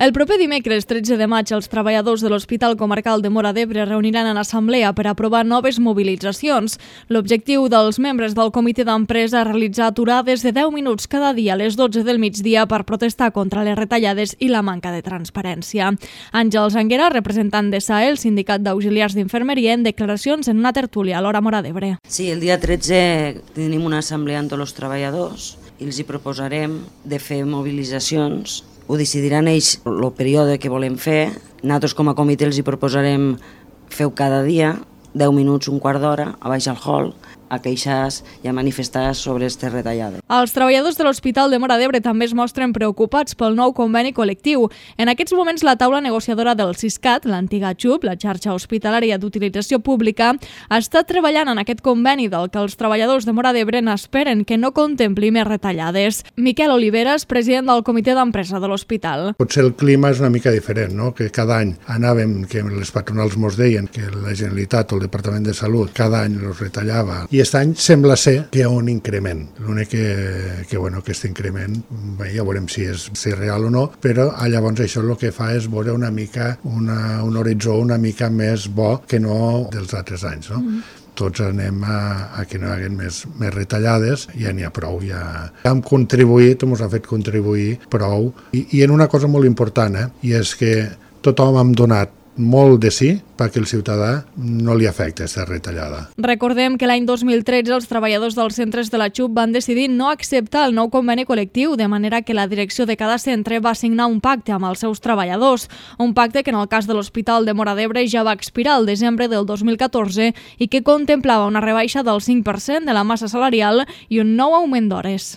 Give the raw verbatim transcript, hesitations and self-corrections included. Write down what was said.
El proper dimecres tretze de maig els treballadors de l'Hospital Comarcal de Móra d'Ebre reuniran en assemblea per aprovar noves mobilitzacions. L'objectiu dels membres del comitè d'empresa és realitzar aturades de deu minuts cada dia a les dotze del migdia per protestar contra les retallades i la manca de transparència. Àngels Anguera, representant de S A E, el sindicat d'auxiliars d'infermeria, en declaracions en una tertúlia a l'Hora Móra d'Ebre. Sí, el dia tretze tenim una assemblea amb tots els treballadors i els hi proposarem de fer mobilitzacions. Ho decidiran ells el període que volem fer. Nosaltres com a comitè els hi proposarem feu cada dia, deu minuts, un quart d'hora, a baix al hall, a queixar i a manifestar sobre aquestes retallades. Els treballadors de l'Hospital de Móra d'Ebre també es mostren preocupats pel nou conveni col·lectiu. En aquests moments la taula negociadora del Siscat, l'antiga XUP, la xarxa hospitalària d'utilització pública, està treballant en aquest conveni del que els treballadors de Móra d'Ebre n'esperen que no contempli més retallades. Miquel Oliveres, president del comitè d'empresa de l'hospital. Potser el clima és una mica diferent, no? Que cada any anàvem, que les patronals mos deien que la Generalitat o el Departament de Salut cada any els retallava. I aquest any sembla ser que hi ha un increment. L'únic que, que, bueno, que aquest increment, bé, ja veurem si és, si és real o no, però llavors això el que fa és veure una mica una, un horitzó una mica més bo que no dels altres anys, no? Mm. Tots anem a, a que no hi hagi més, més retallades, ja n'hi ha prou. Ja hem contribuït, ens ha fet contribuir prou. I, i en una cosa molt important, eh? I és que tothom hem donat molt de sí perquè el ciutadà no li afecta aquesta retallada. Recordem que l'any dos mil tretze els treballadors dels centres de la XUP van decidir no acceptar el nou conveni col·lectiu, de manera que la direcció de cada centre va signar un pacte amb els seus treballadors. Un pacte que en el cas de l'Hospital de Móra d'Ebre ja va expirar el desembre del dos mil catorze i que contemplava una rebaixa del cinc per cent de la massa salarial i un nou augment d'hores.